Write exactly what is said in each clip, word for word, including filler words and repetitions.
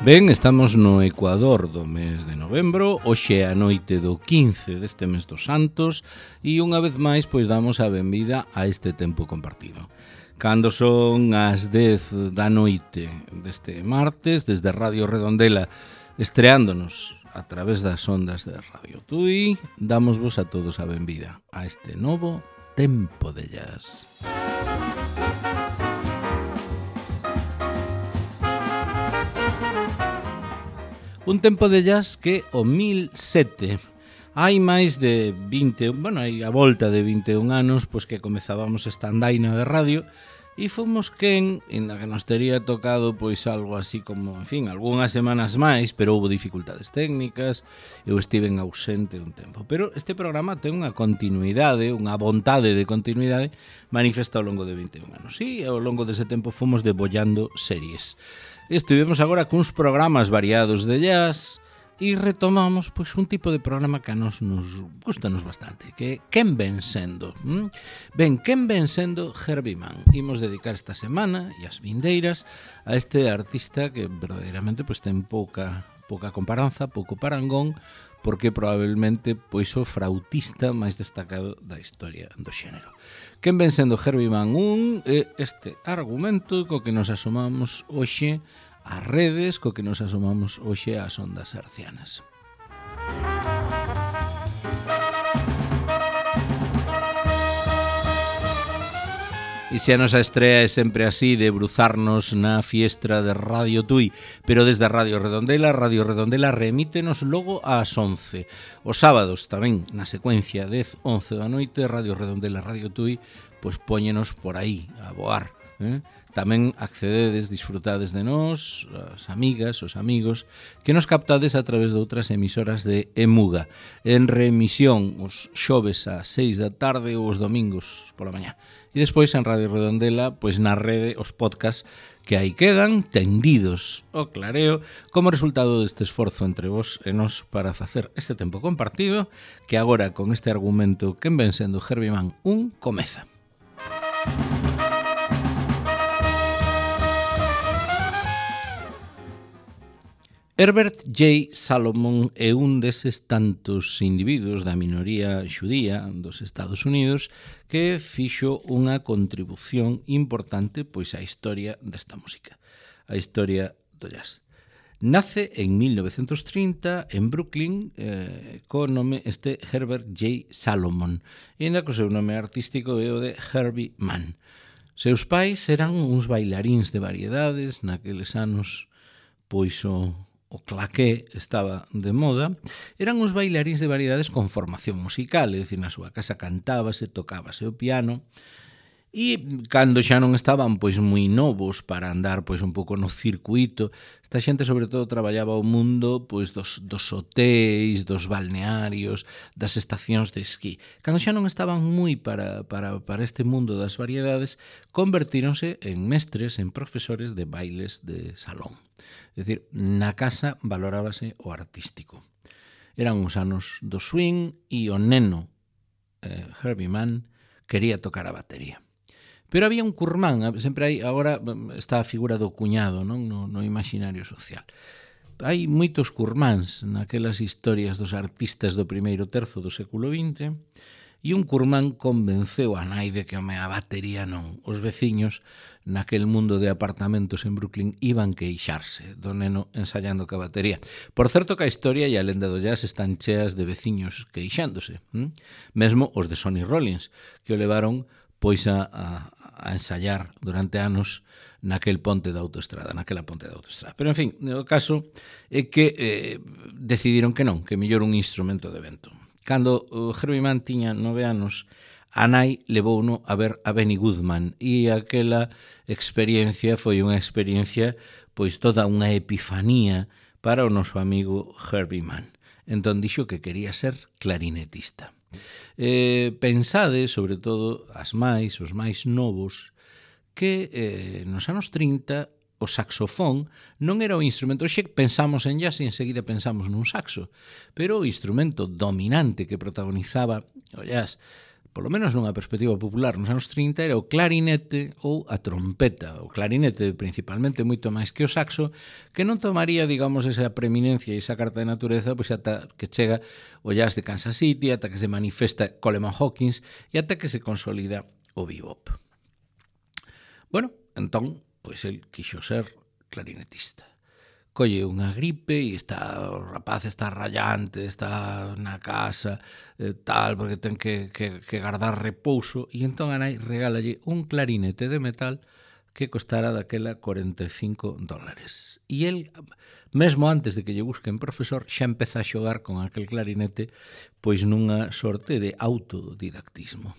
Ben, estamos no Ecuador do mes de novembro, hoxe é a noite do quince deste mes dos Santos e unha vez máis pois damos a benvida a este tempo compartido. Cando son as dez da noite deste martes, desde Radio Redondela, estreándonos a través das ondas de Radio Tui, damosvos a todos a benvida a este novo Tempo de Jazz. Un tempo de jazz que o mil sete, hai máis de vinte, bueno, hai a volta de vinte e un anos, pois que comezábamos esta andaina de radio e fomos quen, inda que nos tería tocado pois algo así como, en fin, algunhas semanas máis, pero houve dificultades técnicas, eu estiven ausente un tempo. Pero este programa ten unha continuidade, unha vontade de continuidade manifesta ao longo de vinte e un anos. E ao longo dese tempo fomos debollando series. Estivemos agora cuns programas variados de jazz e retomamos pois un tipo de programa que a nos nos gustanos bastante, que quen ven sendo? ¿Mm? Ben, quen ven sendo Herbie Mann. Imos dedicar esta semana e as vindeiras a este artista que verdadeiramente pois ten pouca pouca comparanza, pouco parangón, porque probablemente pois o frautista máis destacado da historia do xénero. Quen ven sendo Herbie Mann un é este argumento co que nos asomamos hoxe ás redes, co que nos asomamos hoxe ás ondas hercianas. E se a nosa estrea é sempre así, de bruzarnos na fiestra de Radio Tui, pero desde Radio Redondela, Radio Redondela remítenos logo ás once. Os sábados tamén, na secuencia dez a once da noite, Radio Redondela, Radio Tui, pois póñenos por aí a voar. Eh? Tamén accededes, disfrutades de nós, as amigas, os amigos, que nos captades a través de outras emisoras de Emuga. En remisión os xoves a seis da tarde ou os domingos pola mañá. E despois en Radio Redondela, pois na rede, os podcasts que aí quedan tendidos ao clareo como resultado deste esforzo entre vos e nós para facer este tempo compartido que agora con este argumento quen ven sendo Herbie Mann un comeza. Herbert J. Salomon é un deses tantos individuos da minoría xudía dos Estados Unidos que fixo unha contribución importante pois á historia desta música, a historia do jazz. Nace en mil novecentos trinta en Brooklyn eh, co nome este Herbert J. Salomon, e ainda co seu nome artístico é o de Herbie Mann. Seus pais eran uns bailaríns de variedades, naqueles anos pois o o claqué estaba de moda, eran uns bailaríns de variedades con formación musical, é dicir, na súa casa cantábase, tocábase o piano, e cando xa non estaban pois moi novos para andar pois un pouco no circuito, esta xente sobre todo traballaba o mundo pois dos, dos hotéis, dos balnearios, das estacións de esquí. Cando xa non estaban moi para, para, para este mundo das variedades, convertíronse en mestres, en profesores de bailes de salón. É dicir, na casa valorábase o artístico. Eran os anos do swing e o neno eh, Herbie Mann quería tocar a batería. Pero había un curmán, sempre hai, agora está a figura do cuñado, non? No, no imaginario social. Hai moitos curmáns naquelas historias dos artistas do primeiro terzo do século vinte, e un curmán convenceu a nai de que home, a batería non. Os veciños naquel mundo de apartamentos en Brooklyn iban queixarse do neno ensayando ca batería. Por certo que a historia e a lenda do jazz están cheas de veciños queixándose. Hm? Mesmo os de Sonny Rollins, que o levaron pois a, a, a ensayar durante anos naquel ponte da autoestrada, naquela ponte da autoestrada. Pero, en fin, o caso é que eh, decidiron que non, que mellor un instrumento de vento. Cando o Herbie Mann tiña nove anos, a nai levouno a ver a Benny Goodman e aquela experiencia foi unha experiencia, pois toda unha epifanía para o noso amigo Herbie Mann. Entón dixo que quería ser clarinetista. Eh, pensade, sobre todo, as máis, os máis novos, que eh, nos anos trinta o saxofón non era o instrumento. Xe pensamos en jazz e enseguida pensamos nun saxo, pero o instrumento dominante que protagonizaba o jazz polo menos nunha perspectiva popular nos anos trinta, era o clarinete ou a trompeta. O clarinete principalmente moito máis que o saxo, que non tomaría, digamos, esa preeminencia e esa carta de natureza pois ata que chega o jazz de Kansas City, ata que se manifesta Coleman Hawkins e ata que se consolida o bebop. Bueno, entón, pois el quixo ser clarinetista. Colle unha gripe e está, o rapaz está rayante, está na casa, eh, tal, porque ten que, que, que guardar repouso, e entón a nai regálalle un clarinete de metal que costara daquela cuarenta e cinco dólares. E el, mesmo antes de que lle busquen profesor, xa empeza a xogar con aquel clarinete pois nunha sorte de autodidactismo.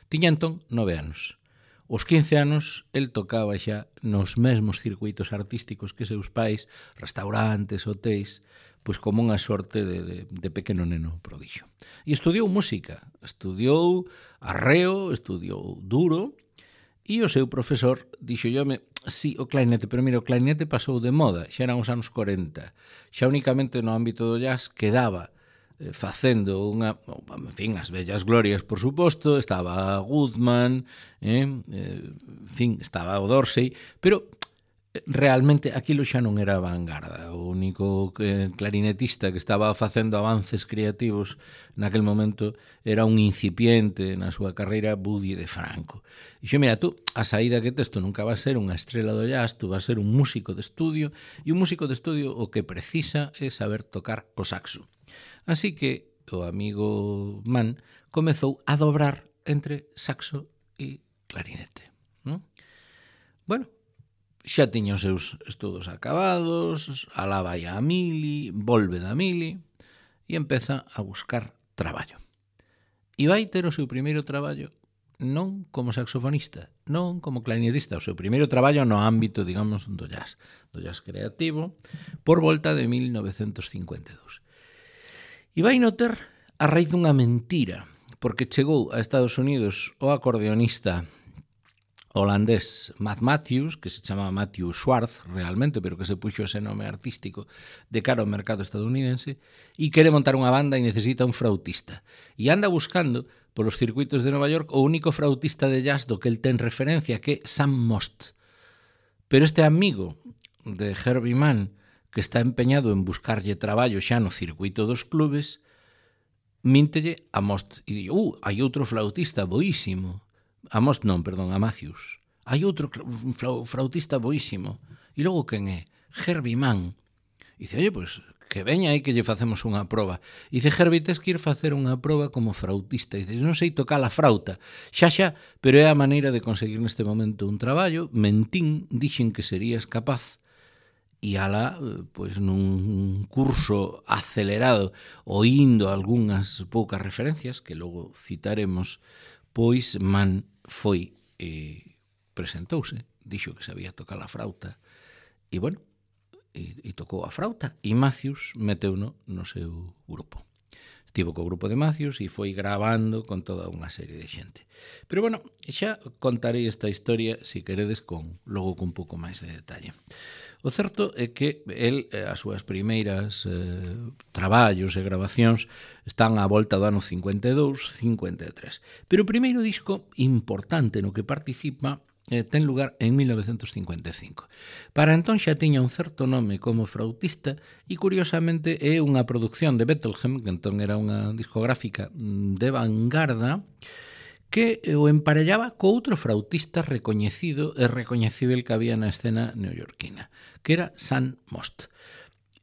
Tiña entón nove anos. Os quince anos, el tocaba xa nos mesmos circuitos artísticos que seus pais, restaurantes, hotéis, pois como unha sorte de, de, de pequeno neno prodixio. E estudiou música, estudiou arreo, estudiou duro, e o seu profesor dixo me, sí, o clarinete, pero mira, o clarinete pasou de moda, xa eran os anos corenta, xa únicamente no ámbito do jazz quedaba facendo unha, en fin, as vellas glorias, por suposto, estaba Goodman, eh, en fin, estaba o Dorsey, pero realmente aquilo xa non era vanguarda. O único clarinetista que estaba facendo avances creativos naquel momento era un incipiente na súa carreira, Buddy DeFranco. E xo, mira, tú, a saída que tes, tú nunca vas ser unha estrela do jazz, tú vas ser un músico de estudio, e un músico de estudio o que precisa é saber tocar o saxo. Así que o amigo Mann comezou a dobrar entre saxo e clarinete. ¿No? Bueno, xa tiña os seus estudos acabados, alá vai a Mili, volve da Mili e empeza a buscar traballo. E vai ter o seu primeiro traballo non como saxofonista, non como clarinetista, o seu primeiro traballo no ámbito, digamos, do jazz, do jazz creativo, por volta de mil novecentos cincuenta e dous. E vai notar a raíz dunha mentira, porque chegou a Estados Unidos o acordeonista holandés Matt Matthews, que se chama Matthew Schwartz realmente, pero que se puxo ese nome artístico de cara ao mercado estadounidense, e quere montar unha banda e necesita un flautista. E anda buscando polos circuitos de Nova York o único flautista de jazz do que el ten referencia, que é Sam Most. Pero este amigo de Herbie Mann, que está empeñado en buscarlle traballo xa no circuito dos clubes, míntelle a Most e di, uh, hai outro flautista boísimo. A Most non, perdón, a Matthews. Hai outro flautista boísimo. E logo quen é? Herbie Mann. E dice, oye, pois, que veña aí que lle facemos unha proba. E dice, Herbie, tes que ir facer unha proba como flautista. E dice, non sei tocar a frauta. Xa, xa, pero é a maneira de conseguir neste momento un traballo. Mentín, dixen que serías capaz. E ala, pois nun curso acelerado, oindo algunhas poucas referencias, que logo citaremos, pois Mann foi e presentouse, dixo que sabía tocar a frauta, e bueno, e, e tocou a frauta, e Matthews meteuno no seu grupo. Estivo co grupo de Matthews e foi gravando con toda unha serie de xente. Pero bueno, xa contarei esta historia, se queredes, con logo con un pouco máis de detalle. O certo é que el, as súas primeiras eh, traballos e grabacións están á volta do ano cincuenta e dous, cincuenta e tres. Pero o primeiro disco importante no que participa eh, ten lugar en mil novecentos cincuenta e cinco. Para entón xa tiña un certo nome como flautista e, curiosamente, é unha produción de Bethlehem, que entón era unha discográfica de vanguarda, que o emparellaba co outro flautista recoñecido e recoñecível que había na escena neoyorquina, que era Sam Most.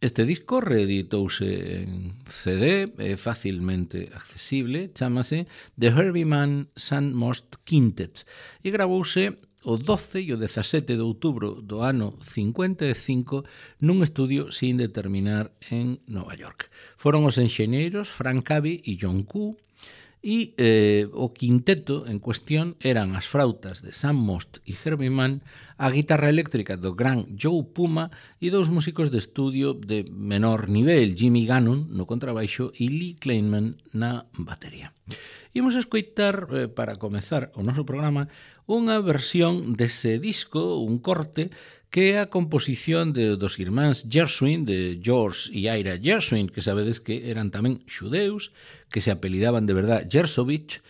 Este disco reeditouse en C D, é facilmente accesible, chámase The Herbie Mann Sam Most Quintet, e gravouse o doce e o dezasete de outubro do ano cincuenta e cinco nun estudio sin determinar en Nova York. Foron os enxeñeiros Frank Abbey e John Koo, e eh, o quinteto en cuestión eran as frautas de Sam Most e Herbie Mann, a guitarra eléctrica do gran Joe Puma e dous músicos de estudio de menor nivel, Jimmy Gannon no contrabaixo e Lee Kleinman na batería. Imos escoitar, eh, para comezar o noso programa, unha versión dese disco, un corte, que é a composición de, dos irmáns Gershwin, de George e Ira Gershwin, que sabedes que eran tamén xudeus, que se apelidaban de verdad Gershovich,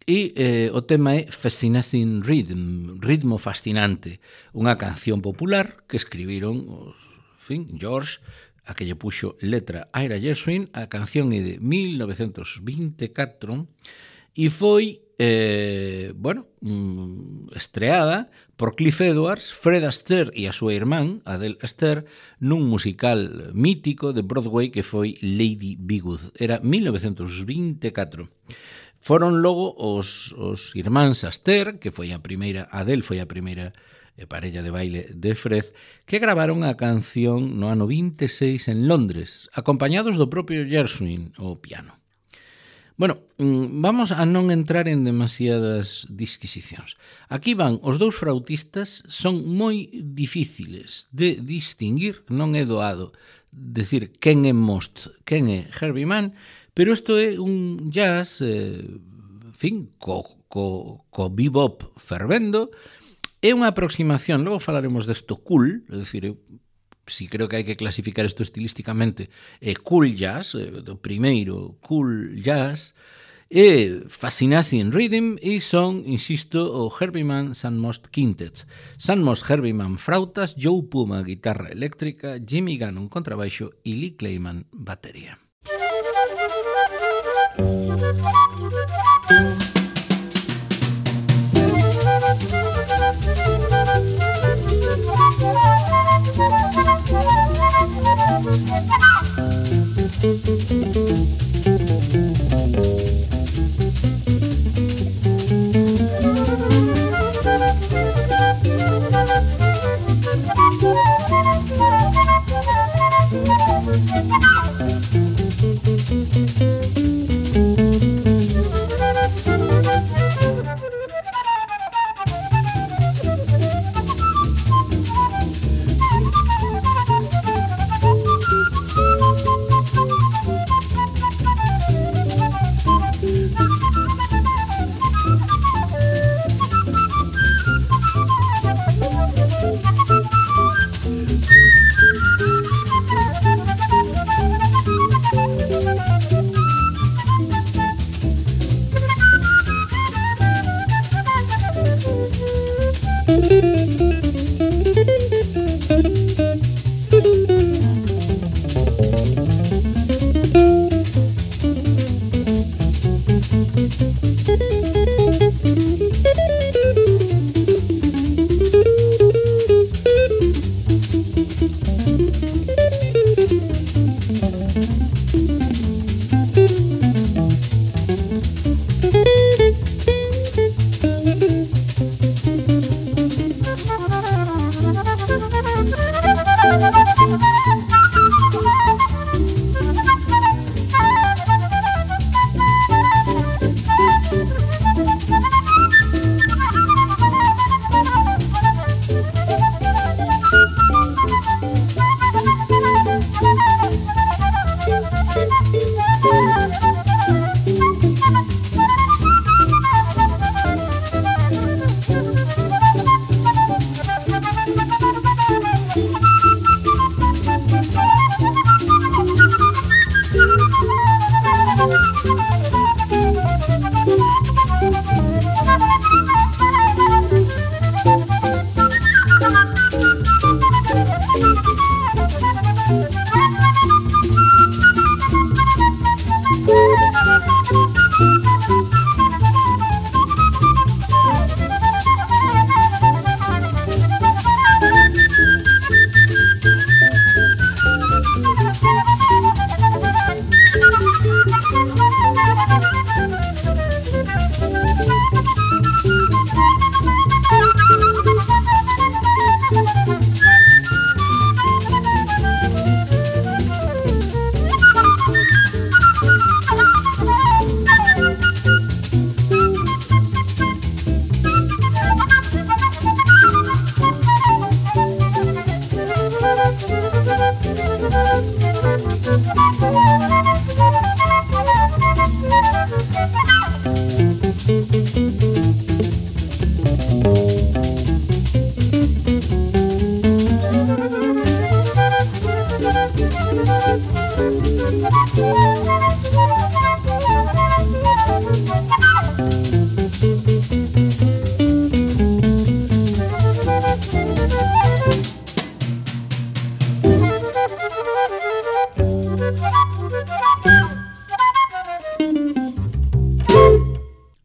E eh, o tema é Fascinating Rhythm, ritmo fascinante, unha canción popular que escribiron os, en fin, George, a que lle puxo letra Ira Gershwin. A canción é de mil novecentos vinte e catro e foi eh, bueno, estreada por Cliff Edwards, Fred Astaire e a súa irmán, Adele Astaire, nun musical mítico de Broadway que foi Lady Be Good. Era mil novecentos vinte e catro. Foron logo os, os irmáns Astaire, que foi a primeira, Adele foi a primeira parella de baile de Fred, que gravaron a canción no ano vinte e seis en Londres, acompañados do propio Gershwin, o piano. Bueno, vamos a non entrar en demasiadas disquisicións. Aquí van os dous frautistas, son moi difíciles de distinguir, non é doado decir quen é Most, quen é Herbie Mann, pero isto é un jazz, eh, en fin, co, co, co bebop fervendo. É unha aproximación, logo falaremos desto cool, é dicir, si creo que hai que clasificar isto estilísticamente, é cool jazz, é, do primeiro cool jazz, é Fascinating Rhythm e son, insisto, o Herbie Mann Sun Most Quintet. Sun Most Herbie Mann frautas, Joe Puma guitarra eléctrica, Jimmy Gannon contrabaixo e Lee Clayman batería.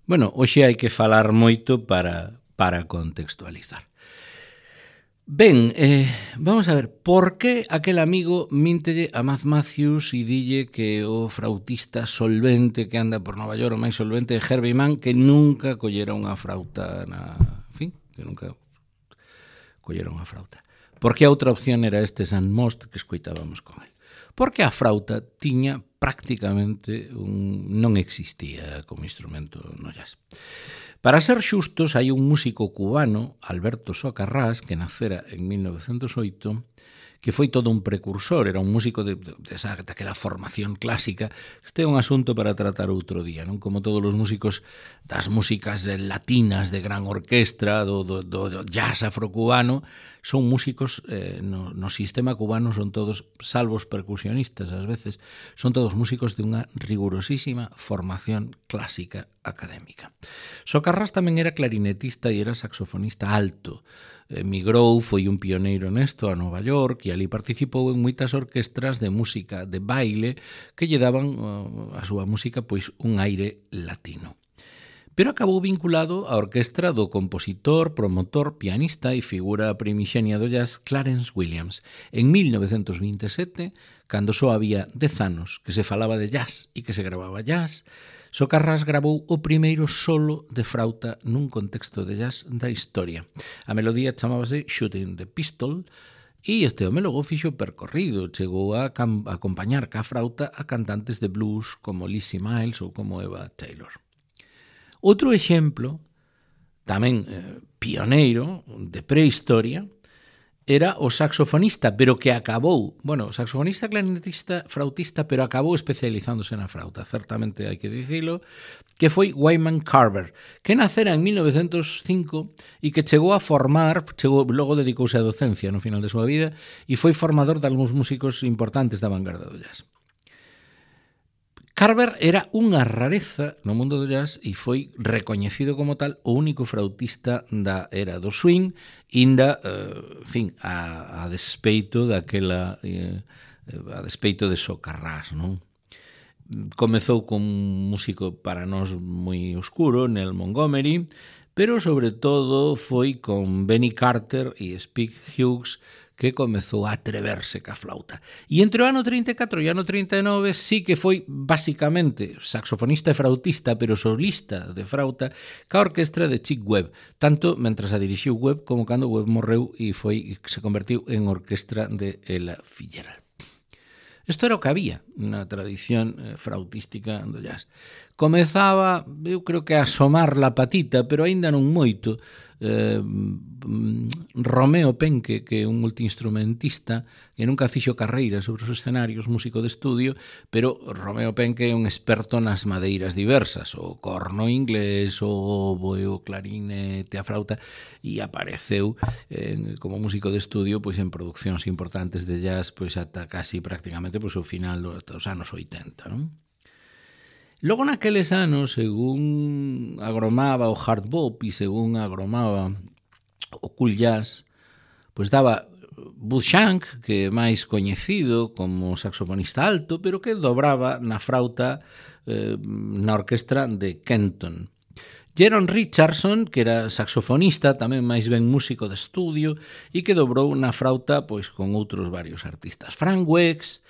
Bueno, hoxe hai que falar moito para, para contextualizar. Ben, eh, vamos a ver, por que aquel amigo míntelle a Matt Matthews e dille que o frautista solvente que anda por Nova York, o máis solvente de Herbie Mann, que nunca collera unha frauta na... En fin, que nunca collera unha frauta. Por que a outra opción era este Sandmost que escoitábamos con el? Porque a frauta tiña prácticamente un... non existía como instrumento no jazz. Para ser xustos, hai un músico cubano, Alberto Socarrás, que nacera en mil novecentos oito, que foi todo un precursor, era un músico de, de, de esa, daquela formación clásica. Este é un asunto para tratar outro día, non? Como todos os músicos das músicas latinas de gran orquestra, do, do, do jazz afrocubano, son músicos, eh, no, no sistema cubano son todos, salvo os percusionistas ás veces, son todos músicos de unha rigurosísima formación clásica académica. Socarrás tamén era clarinetista e era saxofonista alto. Emigrou, foi un pioneiro nesto a Nova York e ali participou en moitas orquestras de música de baile que lle daban a súa música pois un aire latino. Pero acabou vinculado á orquestra do compositor, promotor, pianista e figura primixenia do jazz Clarence Williams. En mil novecentos vinte e sete, cando só había dez anos que se falaba de jazz e que se gravaba jazz, Socarrás gravou o primeiro solo de frauta nun contexto de jazz da historia. A melodía chamábase Shooting the Pistol e este home logo fixo percorrido, chegou a acompañar ca frauta a cantantes de blues como Lizzie Miles ou como Eva Taylor. Outro exemplo, tamén eh, pioneiro de prehistoria, era o saxofonista, pero que acabou, bueno, saxofonista, clarinetista, frautista, pero acabou especializándose na frauta, certamente hai que dicilo, que foi Wyman Carver, que nacera en mil novecentos cinco e que chegou a formar, chegou, logo dedicouse á docencia no final de súa vida, e foi formador de algúns músicos importantes da vanguarda do jazz. Carver era unha rareza no mundo do jazz e foi recoñecido como tal o único frautista da era do swing, inda, eh, en fin, a, a despeito daquela, eh, a despeito de Socarrás, non? Comezou con un músico para nós moi oscuro, Nell Montgomery, pero sobre todo foi con Benny Carter e Spike Hughes que comezou a atreverse ca flauta. E entre o ano trinta e catro e o ano trinta e nove sí que foi basicamente saxofonista e frautista, pero solista de frauta, ca orquestra de Chick Webb, tanto mentras a dirixiu Webb como cando Webb morreu e foi se convertiu en orquestra de Ella Fitzgerald. Isto era o que había na tradición frautística do jazz. Comezaba, eu creo que a asomar la patita, pero aínda non moito, eh, Romeo Penque, que é un multiinstrumentista que nunca fixo carreira sobre os escenarios, músico de estudio, pero Romeo Penque é un experto nas madeiras diversas, o corno inglés, o oboe, o clarinete, a frauta, e apareceu eh, como músico de estudio pois en produccións importantes de jazz pois ata casi prácticamente pois o final dos anos oitenta, non? Logo naqueles anos, según agromaba o hard bop e según agromaba o cool jazz, pois daba Bud Shank, que é máis coñecido como saxofonista alto, pero que dobraba na frauta eh, na orquestra de Kenton. Jeron Richardson, que era saxofonista, tamén máis ben músico de estudio, e que dobrou na frauta pois con outros varios artistas. Frank Wex,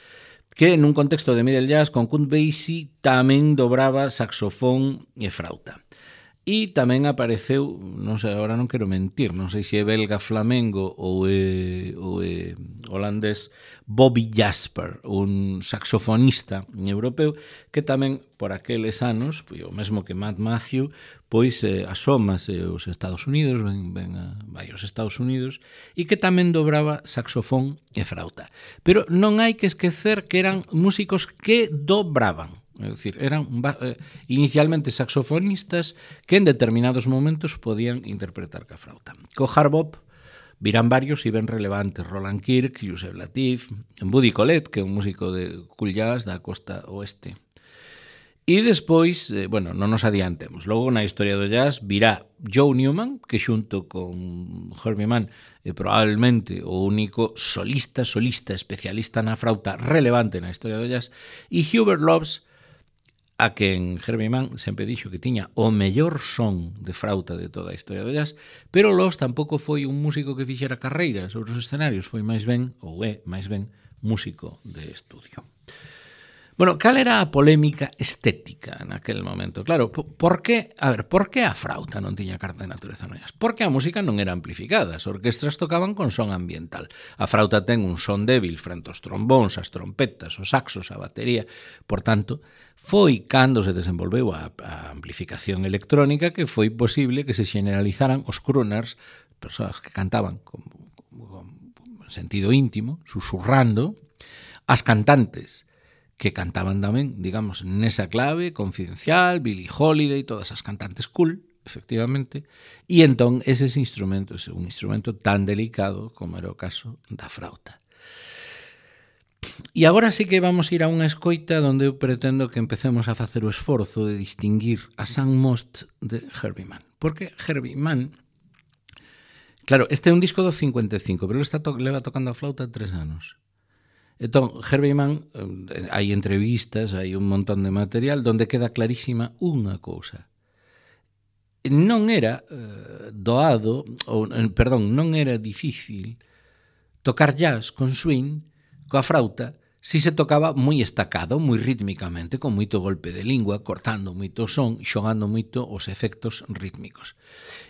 que nun contexto de middle jazz con Count Basie tamén dobraba saxofón e frauta. E tamén apareceu, non sei, agora non quero mentir, non sei se é belga flamengo ou é, ou é holandés, Bobby Jasper, un saxofonista europeu que tamén por aqueles anos, o mesmo que Matt Matthews, pois eh, asómase aos Estados Unidos, ven, ven a, vai aos Estados Unidos, e que tamén dobraba saxofón e frauta. Pero non hai que esquecer que eran músicos que dobraban. É dicir, eran eh, inicialmente saxofonistas que en determinados momentos podían interpretar ca frauta. Co hard bop virán varios e ben relevantes, Roland Kirk, Yusef Lateef, Buddy Collette, que é un músico de cool jazz da costa oeste. E despois, eh, bueno, non nos adiantemos. Logo na historia do jazz virá Joe Newman, que xunto con Herbie Mann é probablemente o único solista, solista especialista na frauta relevante na historia do jazz, e Hubert Loves, a quen Herbie Mann sempre dixo que tiña o mellor son de frauta de toda a historia do jazz, pero Los tampouco foi un músico que fixera carreira sobre os escenarios, foi máis ben, ou é máis ben, músico de estudio. Bueno, cal era a polémica estética naquele momento? Claro, por que, a ver, por que a frauta non tiña carta de natureza no jazz? Porque a música non era amplificada, as orquestras tocaban con son ambiental. A frauta ten un son débil frente aos trombóns, as trompetas, os saxos, a batería. Por tanto, foi cando se desenvolveu a, a amplificación electrónica que foi posible que se generalizaran os crooners, persoas que cantaban con, con, con sentido íntimo, susurrando, as cantantes, que cantaban tamén, digamos, nesa clave, Confidencial, Billie Holiday, todas as cantantes cool, efectivamente, e entón ese instrumento, ese un instrumento tan delicado como era o caso da frauta. E agora sí que vamos ir a unha escoita onde eu pretendo que empecemos a facer o esforzo de distinguir a Sun Most de Herbie Mann. Porque Herbie Mann, claro, este é un disco do cincuenta e cinco, pero ele está to- leva tocando a flauta tres anos. Entón, Herbie Mann, hai entrevistas, hai un montón de material donde queda clarísima unha cousa. Non era eh, doado, ou, perdón, non era difícil tocar jazz con swing, coa frauta, si se tocaba moi estacado, moi rítmicamente, con moito golpe de lingua, cortando moito o son, xogando moito os efectos rítmicos.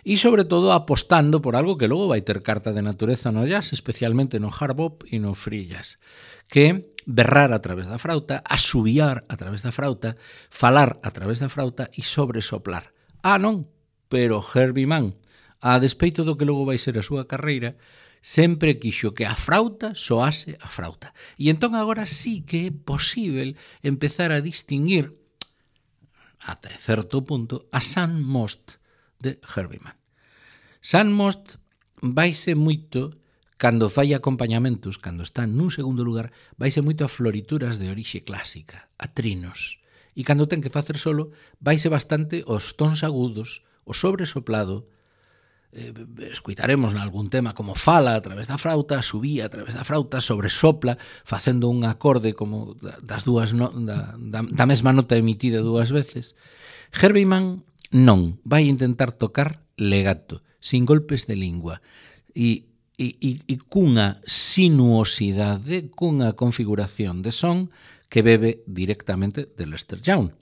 E, sobre todo, apostando por algo que logo vai ter carta de natureza no jazz, especialmente no hard bop e no free jazz, que berrar a través da frauta, asubiar a través da frauta, falar a través da frauta e sobresoplar. Ah, non, pero Herbie Mann, a despeito do que logo vai ser a súa carreira, sempre quixo que a frauta soase a frauta. E entón agora sí que é posível empezar a distinguir, ata certo punto, a Sun Most de Herbie Mann. Sun Most vaise moito, cando fai acompañamentos, cando está nun segundo lugar, vaise moito a florituras de orixe clásica, a trinos. E cando ten que facer solo, vaise bastante aos tons agudos, o sobresoplado. Eh, escuitaremos nalgún tema como fala a través da frauta, subía a través da frauta, sobresopla, facendo un acorde como das dúas no, da, da, da mesma nota emitida dúas veces. Herbie Mann non, vai intentar tocar legato, sin golpes de lingua, e E, e, e cunha sinuosidade, cunha configuración de son que bebe directamente de Lester Young.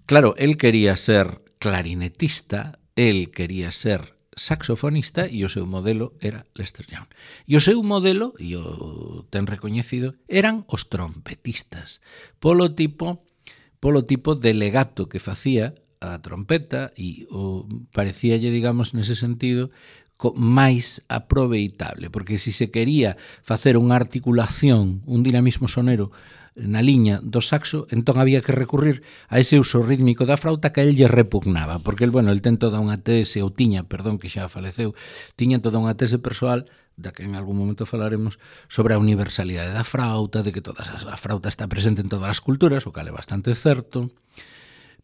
Claro, el quería ser clarinetista, el quería ser saxofonista e o seu modelo era Lester Young. E o seu modelo, e o ten recoñecido, eran os trompetistas, polo tipo, polo tipo de legato que facía a trompeta e o parecíalle, digamos, nese sentido, máis aproveitable, porque se se quería facer unha articulación, un dinamismo sonero na liña do saxo, entón había que recurrir a ese uso rítmico da frauta que a él lle repugnaba, porque el, bueno, el ten toda unha tese, ou tiña, perdón, que xa faleceu, tiña toda unha tese persoal, da que en algún momento falaremos, sobre a universalidade da frauta, de que toda a frauta está presente en todas as culturas, o cal é bastante certo,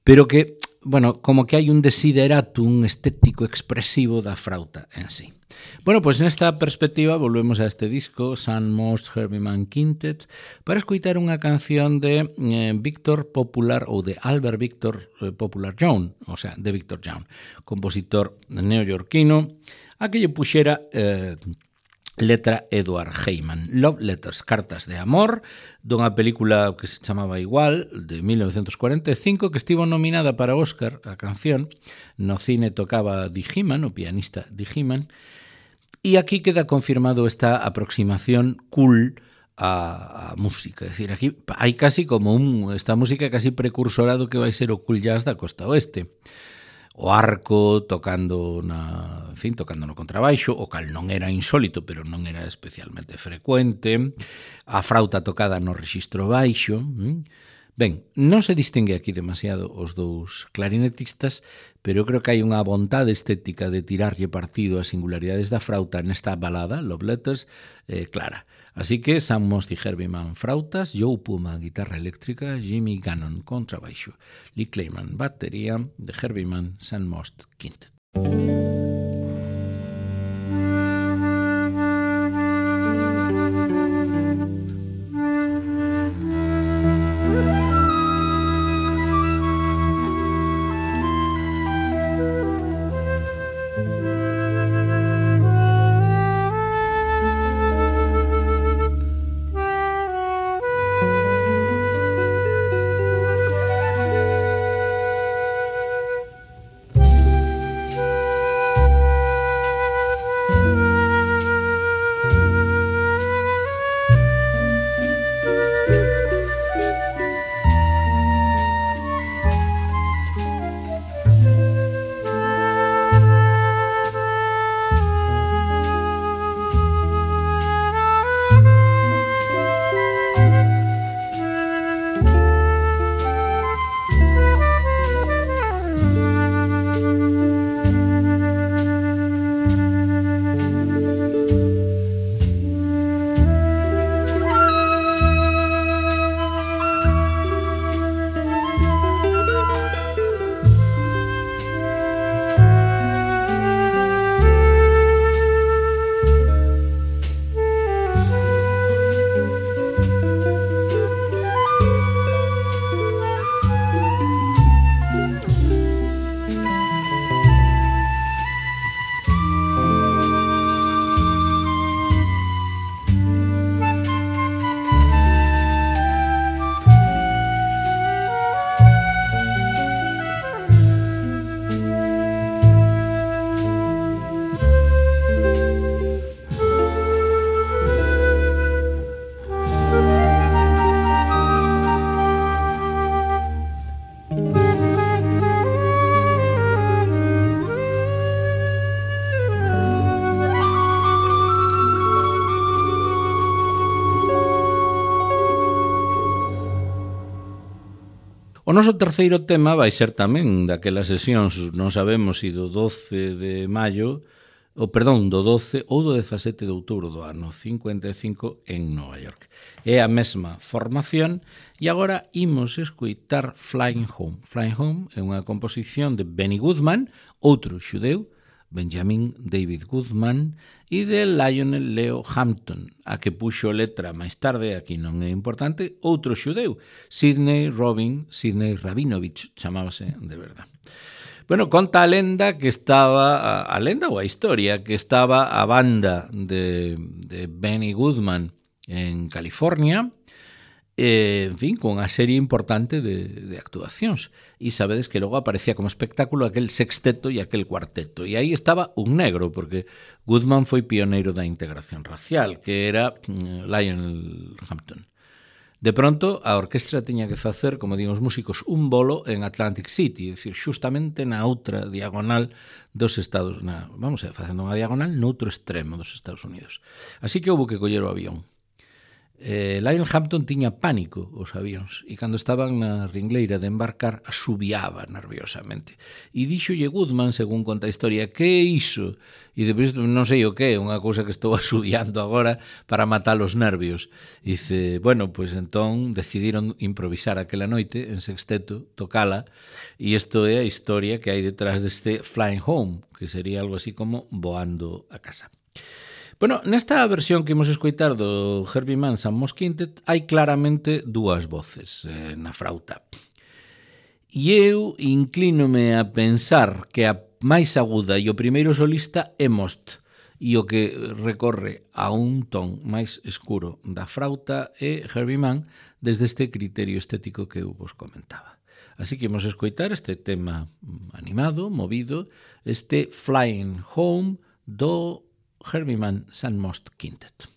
pero que, bueno, como que hai un desideratum estético expresivo da frauta en sí. Bueno, pois nesta perspectiva volvemos a este disco, Sun Most Herbie Mann Quintet, para escoitar unha canción de eh, Victor Popular, ou de Albert Victor eh, Popular Young, o sea, de Victor Young, compositor neoyorquino, a que lle puxera eh, letra Edward Heyman. Love Letters, cartas de amor, dunha película que se chamaba igual, de mil novecientos cuarenta e cinco, que estivo nominada para Óscar, a canción. No cine tocaba Dee Heman, o pianista Dee Heman, e aquí queda confirmado esta aproximación cool a, a música. É dicir, aquí hai casi como un, esta música casi precursora do que vai ser o cool jazz da costa oeste. O arco tocando na, en fin, tocando no contrabaixo, o cal non era insólito, pero non era especialmente frecuente, a frauta tocada no rexistro baixo. Ben, non se distingue aquí demasiado os dous clarinetistas, pero eu creo que hai unha vontade estética de tirarlle partido ás singularidades da frauta nesta balada, Love Letters, eh, clara. Así que Sun Most e Herbie Mann frautas, Joe Puma guitarra eléctrica, Jimmy Gannon contrabaixo, Lee Clayman batería, de Herbie Mann Sun Most Quintet. O noso terceiro tema vai ser tamén daquelas sesións, non sabemos se do doce de maio, o perdón, do doce ou do dezasete de outubro do ano cincuenta e cinco en Nova York. É a mesma formación e agora imos escoitar Flying Home. Flying Home é unha composición de Benny Goodman, outro xudeu, Benjamin David Goodman, e de Lionel Leo Hampton, a que puxo letra máis tarde, aquí non é importante, outro xudeu, Sidney Robin, Sidney Rabinovich, chamábase de verdad. Bueno, conta a lenda que estaba, a, a lenda ou a historia, que estaba a banda de, de Benny Goodman en California, eh, en fin, con unha serie importante de, de actuacións. E sabedes que logo aparecía como espectáculo aquel sexteto e aquel cuarteto. E aí estaba un negro, porque Goodman foi pioneiro da integración racial, que era mm, Lionel Hampton. De pronto, a orquestra tiña que facer, como digo os músicos, un bolo en Atlantic City, é dicir, xustamente na outra diagonal dos Estados Unidos. Vamos a facendo unha diagonal noutro extremo dos Estados Unidos. Así que houve que coller o avión. Eh, Lionel Hampton tiña pánico os avións e cando estaban na ringleira de embarcar asubiaba nerviosamente e díxolle Goodman, según conta a historia, que é iso? E depois non sei o que, unha cousa que estou asubiando agora para matar os nervios. E dice, bueno, pois entón decidiron improvisar aquela noite en sexteto, tocala, e isto é a historia que hai detrás deste Flying Home, que sería algo así como voando a casa. Bueno, nesta versión que imos escoitar do Herbie Mann and Moss Quintet hai claramente dúas voces eh, na frauta. E eu inclínome a pensar que a máis aguda e o primeiro solista é Most, e o que recorre a un ton máis escuro da frauta é Herbie Mann desde este criterio estético que eu vos comentaba. Así que imos escoitar este tema animado, movido, este Flying Home do Herbie Mann and Moss Quintet.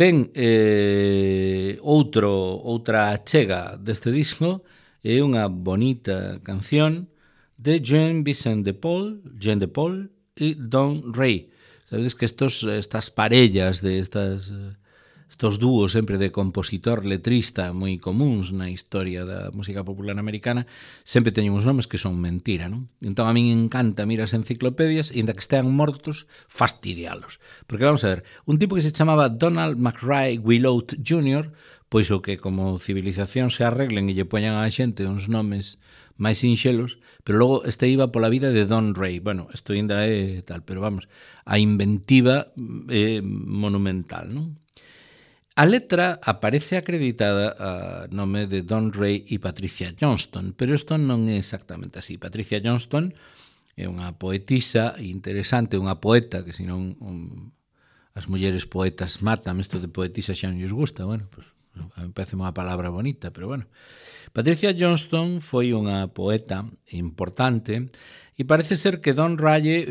Ben, eh, outro, outra achega deste disco é unha bonita canción de Jean Vincent de Paul, Jean de Paul e Don Ray. Sabedes que estos, estas parellas de estas... estos dúos sempre de compositor-letrista moi comuns na historia da música popular americana sempre teñen uns nomes que son mentira, non? Entón a min encanta mirar as enciclopedias e inda que estean mortos, fastidialos. Porque vamos a ver, un tipo que se chamaba Donald McRae Willott júnior, pois o que como civilización se arreglen e lle poñan á xente uns nomes máis sinxelos, pero logo este iba pola vida de Don Ray. Bueno, isto ainda é tal, pero vamos, a inventiva é monumental, non? A letra aparece acreditada a nome de Don Ray e Patricia Johnston, pero isto non é exactamente así. Patricia Johnston é unha poetisa interesante, unha poeta, que senón um, as mulleres poetas matan, isto de poetisa xa non lles gusta, bueno, pues, a mí parece unha palabra bonita, pero bueno. Patricia Johnston foi unha poeta importante e parece ser que Don Raye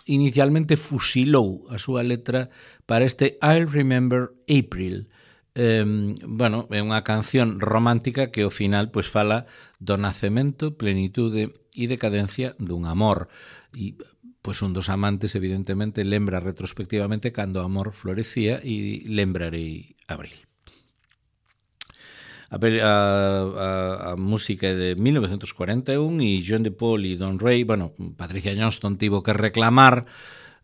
inicialmente fusilou a súa letra para este I'll Remember April. Eh, bueno, é unha canción romántica que ao final pois fala do nacemento, plenitude e decadencia dun amor. E pois un dos amantes evidentemente lembra retrospectivamente cando o amor florecía e lembrarei abril. A, a, a música é de mil novecentos cuarenta e un e Jean de Paul e Don Ray, bueno, Patricia Johnston tivo que reclamar,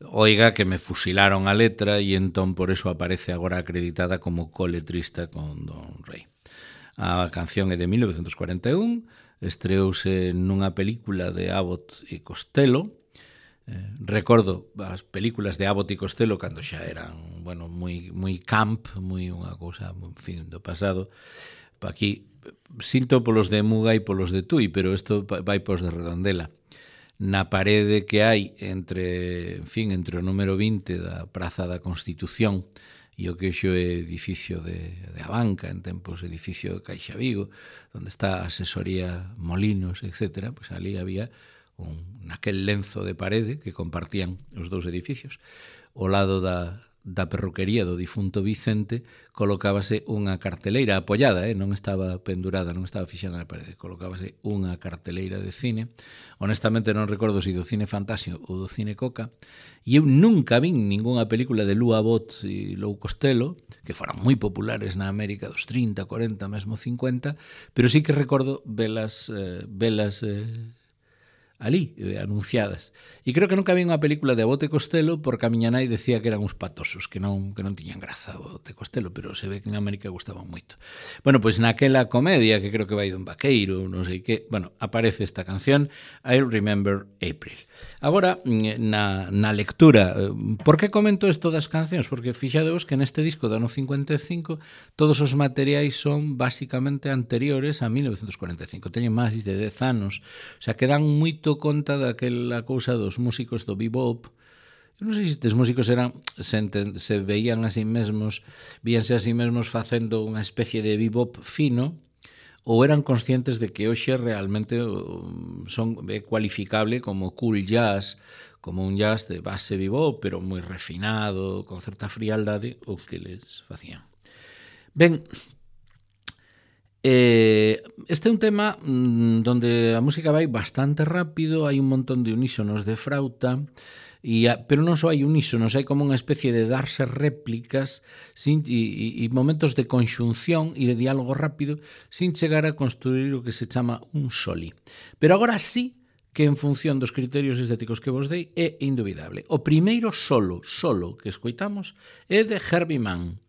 oiga, que me fusilaron a letra e entón por eso aparece agora acreditada como coletrista con Don Ray. A canción é de mil novecentos cuarenta e un, estreouse nunha película de Abbott e Costello. Eh, recordo as películas de Abbott e Costello cando xa eran, bueno, moi moi camp, moi unha cousa, en fin, do pasado. Aquí sinto polos de Muga e polos de Tui, pero isto vai pos de Redondela. Na parede que hai entre, en fin, entre o número vinte da Praza da Constitución e o que xo é edificio de, de Abanca, en tempos edificio de Caixa Vigo, onde está a asesoría Molinos, etcétera, pois ali había un, naquel lenzo de parede que compartían os dous edificios. Ao lado da da perruquería do difunto Vicente colocábase unha carteleira apoiada, eh? non estaba pendurada, non estaba fixada na parede, colocábase unha carteleira de cine. Honestamente non recordo se do cine Fantasio ou do cine Coca, e eu nunca vin ningunha película de Lou Abbott e Lou Costello, que foran moi populares na América dos trinta, cuarenta, mesmo cincuenta, pero sí que recordo velas, eh, velas eh, ali, eh, anunciadas. E creo que nunca vi unha película de Abbott e Costello porque a miña nai decía que eran uns patosos, que non, que non tiñan graza Abbott e Costello, pero se ve que en América gustaban moito. Bueno, pois naquela comedia, que creo que vai dun vaqueiro, non sei que, bueno, aparece esta canción, I'll Remember April. Agora, na, na lectura, por que comento isto das cancións? Porque fixadevos que neste disco do ano cincuenta e cinco todos os materiais son basicamente anteriores a mil novecentos cuarenta e cinco, teñen máis de dez anos, o sea, que dan moito conta daquela cousa dos músicos do bebop. Eu non sei se estes músicos eran, se, enten, se veían a sí mesmos, víanse a sí mesmos facendo unha especie de bebop fino, ou eran conscientes de que hoxe realmente son é cualificable como cool jazz, como un jazz de base bebop, pero moi refinado, con certa frialdade, o que les facían. Ben, eh, este é un tema mmm, donde a música vai bastante rápido, hai un montón de unísonos de frauta, E a, pero non só hai unísonos, hai como unha especie de darse réplicas sin, e, e momentos de conxunción e de diálogo rápido sin chegar a construir o que se chama un soli. Pero agora sí que en función dos criterios estéticos que vos dei é indubidable. O primeiro solo, solo que escoitamos é de Herbie Mann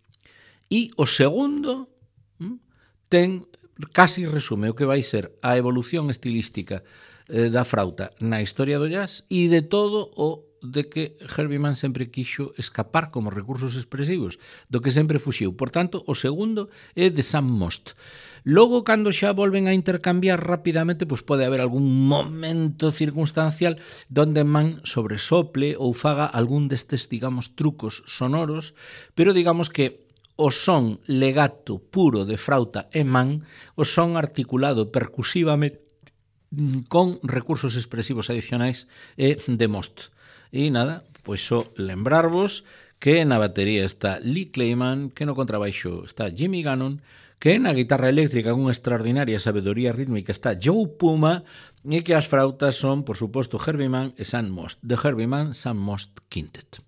e o segundo hm, ten casi resume o que vai ser a evolución estilística eh, da frauta na historia do jazz e de todo o de que Herbie Mann sempre quixo escapar como recursos expresivos, do que sempre fuxiu. Por tanto, o segundo é de Sam Most. Logo, cando xa volven a intercambiar rapidamente, pois pode haber algún momento circunstancial donde Mann sobresople ou faga algún destes, digamos, trucos sonoros, pero digamos que o son legato puro de frauta e Mann, o son articulado percusivamente con recursos expresivos adicionais e de Most. E nada, pois só lembrarvos que na batería está Lee Clayman, que no contrabaixo está Jimmy Gannon, que na guitarra eléctrica con extraordinaria sabedoría rítmica está Joe Puma, e que as frautas son, por suposto, Herbie Mann e Sam Most, de Herbie Mann, Sam Most Quintet.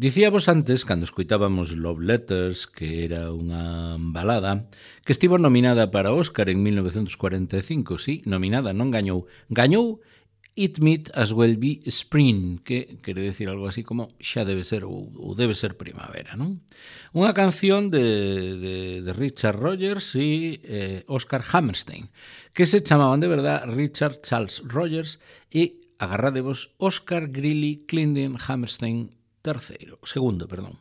Dicíamos antes, cando escoitábamos Love Letters, que era unha balada, que estivo nominada para Óscar en mil novecentos cuarenta e cinco, sí, nominada, non gañou. Gañou It Might As Well Be Spring, que quere decir algo así como xa debe ser ou, ou debe ser primavera, non? Unha canción de, de, de Richard Rogers e eh, Oscar Hammerstein, que se chamaban de verdad Richard Charles Rogers e, agarradevos, Oscar Greeley Clendon Hammerstein terceiro, segundo, perdón.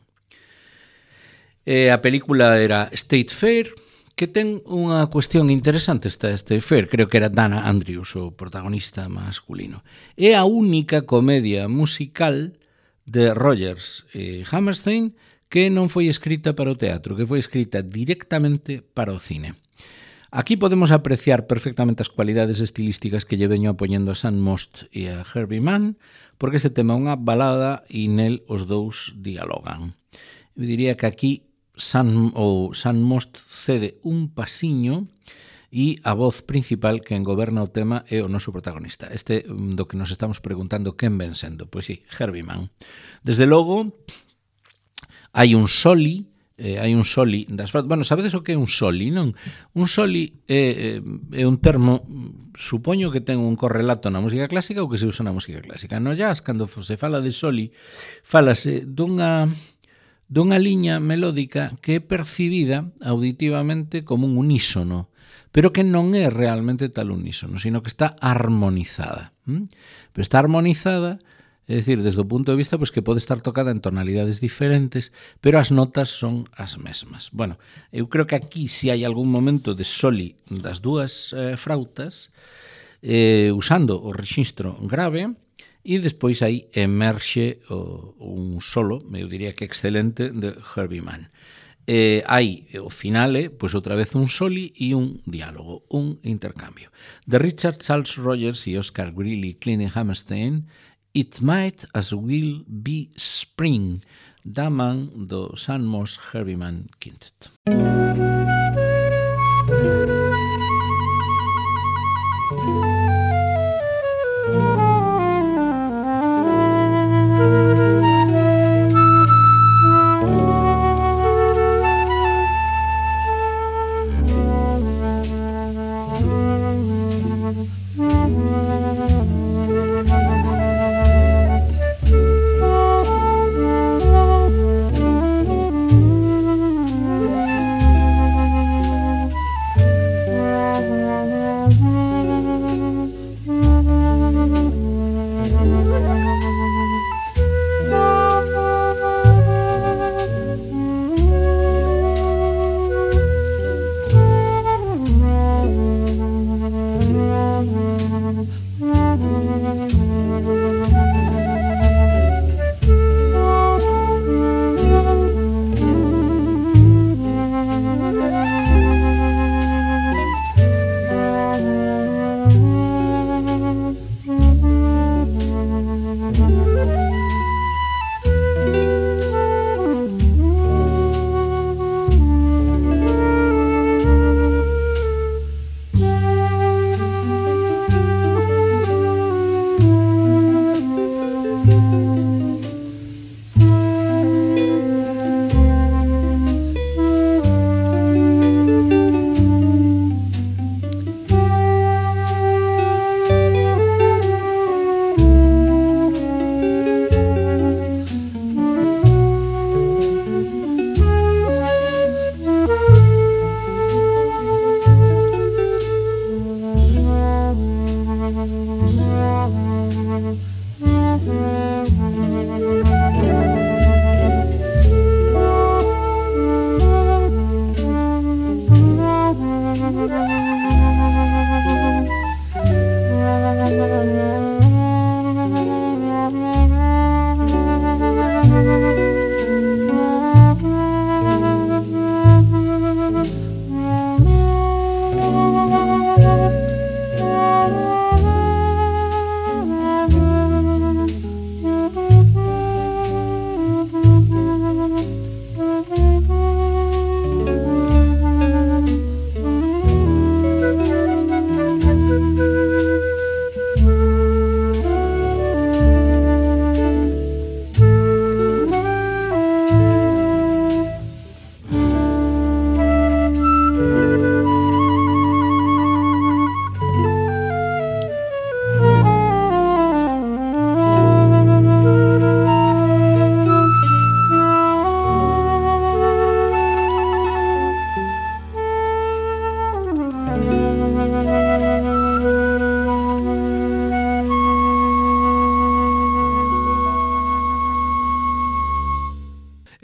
E a película era State Fair, que ten unha cuestión interesante esta State Fair, creo que era Dana Andrews, o protagonista masculino. É a única comedia musical de Rogers e Hammerstein que non foi escrita para o teatro, que foi escrita directamente para o cine. Aquí podemos apreciar perfectamente as cualidades estilísticas que lle veño apoñendo a Sam Most e a Herbie Mann, porque ese tema é unha balada e nel os dous dialogan. Eu diría que aquí Sam, ou Sam Most cede un pasiño e a voz principal que engoberna o tema é o noso protagonista. Este do que nos estamos preguntando quen ven sendo. Pois sí, Herbie Mann. Desde logo, hai un soli, eh, hai un soli das flautas. Bueno, sabedes o que é un soli, non? Un soli é, é un termo, supoño que ten un correlato na música clásica ou que se usa na música clásica. No jazz, cando se fala de soli, fálase dunha dunha liña melódica que é percibida auditivamente como un unísono, pero que non é realmente tal unísono, sino que está armonizada. ¿Mm? Pero está armonizada, é dicir, desde o punto de vista pues, que pode estar tocada en tonalidades diferentes, pero as notas son as mesmas. Bueno, eu creo que aquí si hai algún momento de soli das dúas eh, frautas, eh, usando o rexistro grave, e despois aí emerxe o, un solo, eu diría que excelente, de Herbie Mann. Eh, hai o finale, pois outra vez un soli e un diálogo, un intercambio. De Richard Charles Rogers e Oscar Greeley Clendon Hammerstein, It Might As Well Be Spring, da man do Sam Most Herbie Mann Quintet.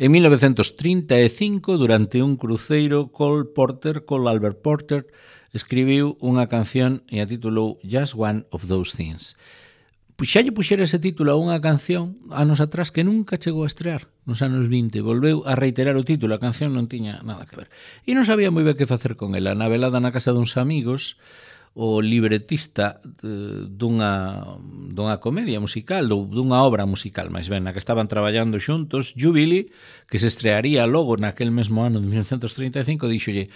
En mil novecentos trinta e cinco, durante un cruceiro, Cole Porter, Cole Albert Porter, escribiu unha canción e a titulou Just One of Those Things. Xa lle puxera ese título a unha canción anos atrás que nunca chegou a estrear nos anos vinte. Volveu a reiterar o título, a canción non tiña nada que ver. E non sabía moi ben que facer con ela. Na velada na casa duns amigos, o libretista dunha, dunha comedia musical, dunha obra musical, máis ben, na que estaban traballando xuntos, Jubilee, que se estrearía logo naquel mesmo ano de mil novecentos trinta e cinco, díxolle,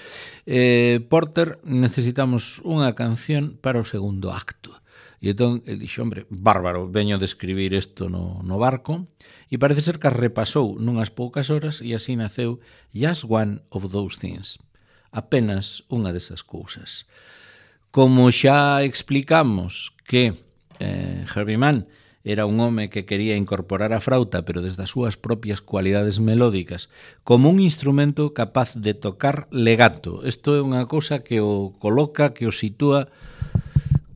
eh, Porter, necesitamos unha canción para o segundo acto. E entón, ele dixo, hombre, bárbaro, veño de escribir isto no, no barco, e parece ser que repasou nunhas poucas horas, e así naceu Just One of Those Things. Apenas unha desas cousas. Como xa explicamos que eh, Herbie Mann era un home que quería incorporar a frauta, pero desde as súas propias cualidades melódicas, como un instrumento capaz de tocar legato. Isto é unha cousa que o coloca, que o sitúa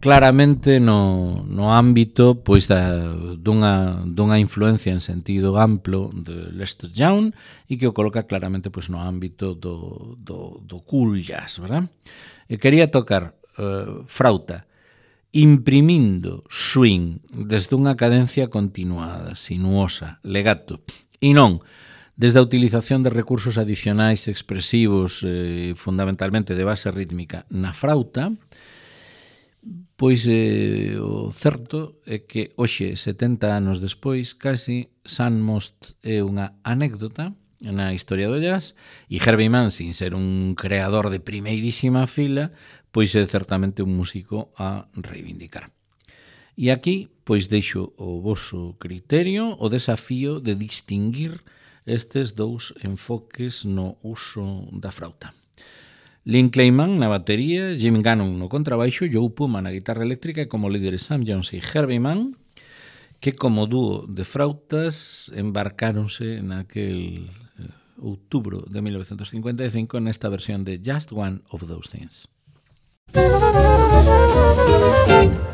claramente no, no ámbito pois da, dunha, dunha influencia en sentido amplo de Lester Young e que o coloca claramente pois no ámbito do, do, do cool jazz, verdad? E quería tocar uh, frauta imprimindo swing desde unha cadencia continuada, sinuosa, legato, e non desde a utilización de recursos adicionais expresivos, eh, fundamentalmente de base rítmica na frauta. Pois eh, o certo é que hoxe, setenta anos despois, casi, Sun Most é unha anécdota na historia do jazz e Herbie Mann, sin ser un creador de primeirísima fila, pois é certamente un músico a reivindicar. E aquí, pois deixo o voso criterio, o desafío de distinguir estes dous enfoques no uso da frauta. Lynn Clayman na batería, Jim Gannon no contrabaixo, Joe Puma na guitarra eléctrica e como líderes Sam Jones e Herbie Mann, que como dúo de frautas embarcáronse naquel eh, outubro de mil novecentos cincuenta e cinco nesta versión de Just One of Those Things. Thank you.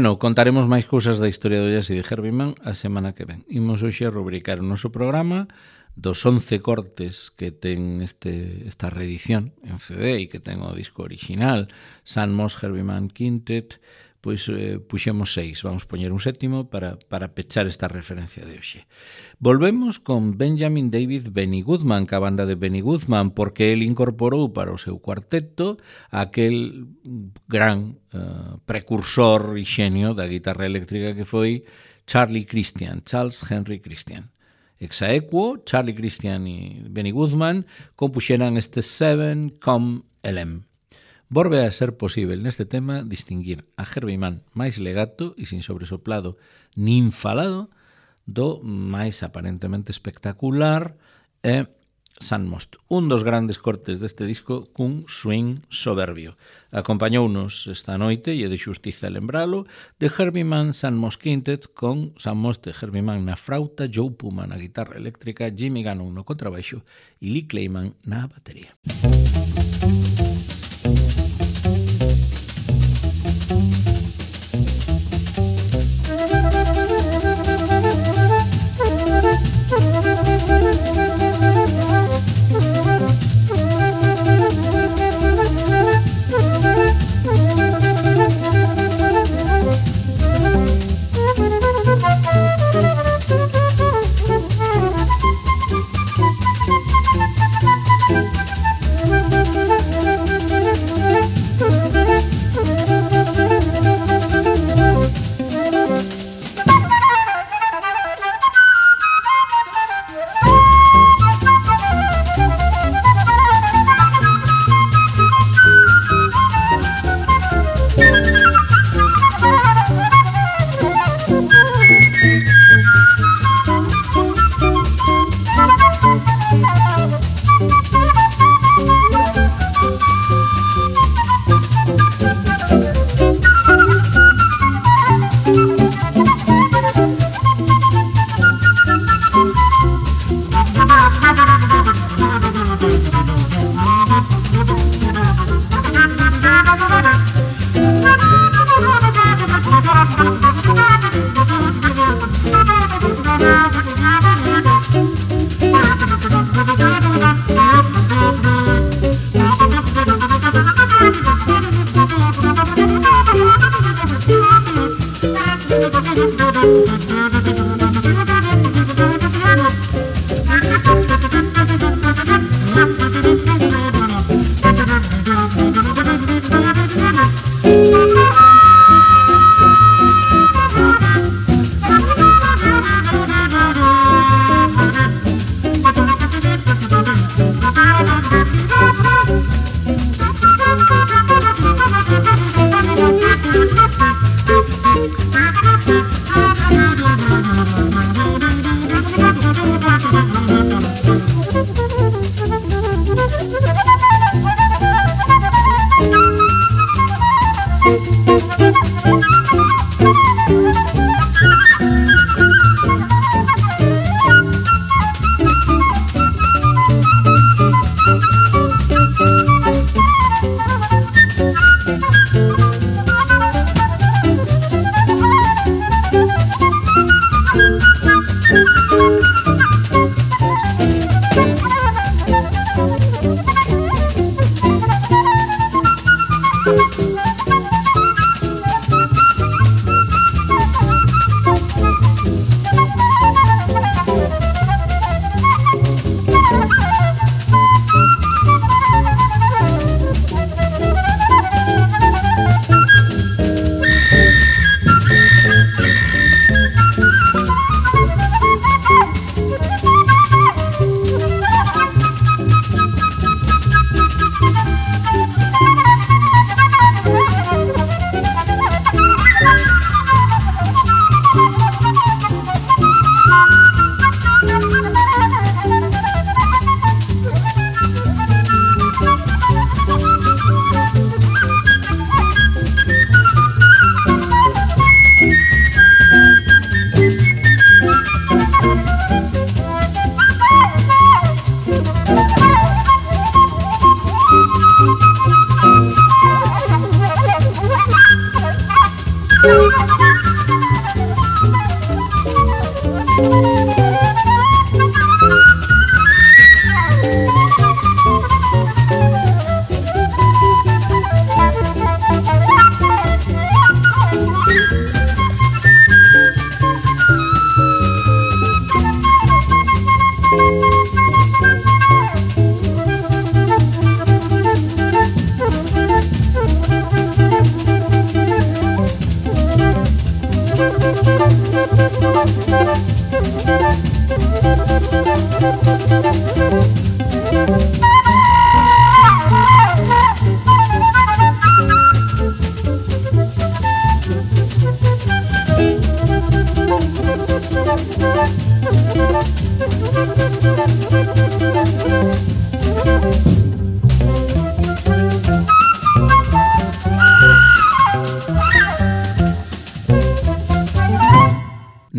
Bueno, contaremos máis cousas da historia do jazz e de Herbie Mann a semana que ven. Imos hoxe a rubricar o noso programa dos once cortes que ten este, esta reedición en C D e que ten o disco original, Sun Moss Herbie Mann Quintet, pois eh, puxemos seis, vamos poñer un sétimo para, para pechar esta referencia de hoxe. Volvemos con Benjamin David Benny Goodman, que a banda de Benny Goodman, porque el incorporou para o seu cuarteto aquel gran uh, precursor e xenio da guitarra eléctrica que foi Charlie Christian, Charles Henry Christian. Exaequo, Charlie Christian e Benny Goodman compuxeran este Seven Com L M. Volve a ser posible neste tema distinguir a Herbie Mann máis legato e sin sobresoplado nin falado do máis aparentemente espectacular e Sun Moss, un dos grandes cortes deste disco cun swing soberbio. Acompañounos esta noite, e é de xustiza lembralo, de Herbie Mann Sun Moss Quintet con Sun Moss de Herbie Mann na frauta, Joe Puma na guitarra eléctrica, Jimmy Gannon no contrabaixo e Lee Clayman na batería.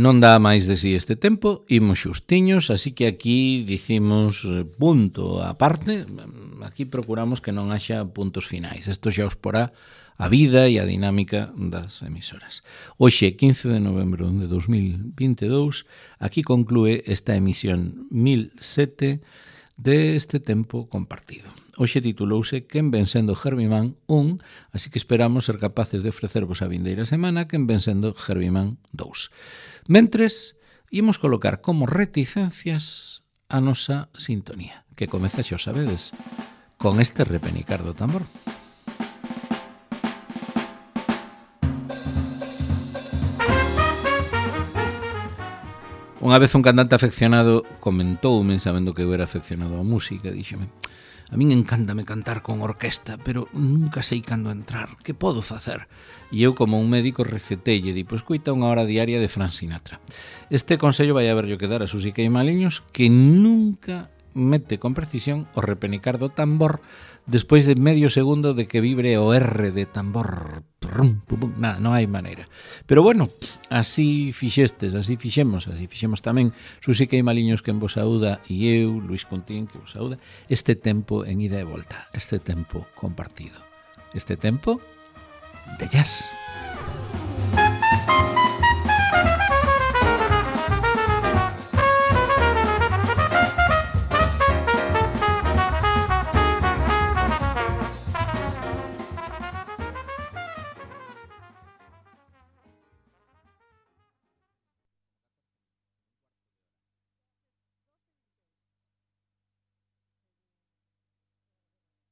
Non dá máis de si este tempo, imos xustiños, así que aquí dicimos punto a parte, aquí procuramos que non haxa puntos finais. Isto xa os porá a vida e a dinámica das emisoras. Hoxe, quince de novembro de dos mil vinte e dous, aquí conclúe esta emisión mil sete deste tempo compartido. Hoxe titulouse Quen ven sendo Herbie-Man un, así que esperamos ser capaces de ofrecervos a vindeira semana Quen ven sendo Herbie-Man dous. Mentres, imos colocar como reticencias a nosa sintonía, que comeza, xa o sabedes, con este repenicar do tambor. Unha vez un cantante afeccionado comentoume, sabendo que eu era afeccionado á música, díxome: a min encántame cantar con orquesta, pero nunca sei cando entrar, que podo facer? E eu, como un médico, recetelle, di, pois coita unha hora diaria de Frank Sinatra. Este consello vai haberlle que dar a Susi Queimaliños, que nunca mete con precisión o repenicar do tambor despois de medio segundo de que vibre o R de tambor. Nada, non hai maneira. Pero bueno, así fixestes, así fixemos, así fixemos tamén Susi Queimaliños, que en vos saúda, e eu, Luis Contín, que vos saúda, este tempo en ida e volta, este tempo compartido, este tempo de jazz.